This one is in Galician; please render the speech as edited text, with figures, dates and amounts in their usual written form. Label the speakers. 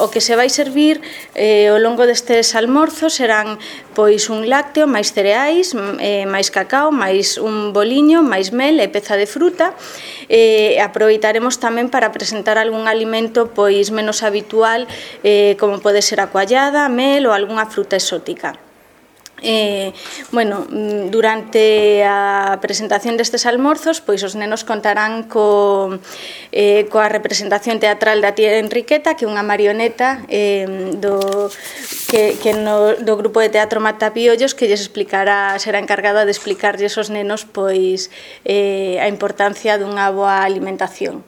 Speaker 1: O que se vai servir ao longo destes almorzos serán pois un lácteo, máis cereais, máis cacao, máis un boliño, máis mel e peza de fruta. Aproveitaremos tamén para presentar algún alimento pois menos habitual, como pode ser a coallada, mel ou algunha fruta exótica. Durante a presentación destes almorzos, pois os nenos contarán coa representación teatral da tía Enriqueta, que é unha marioneta do grupo de teatro Matapiollos, que lles explicará, será encargada de explicarlles aos nenos pois a importancia dunha boa alimentación.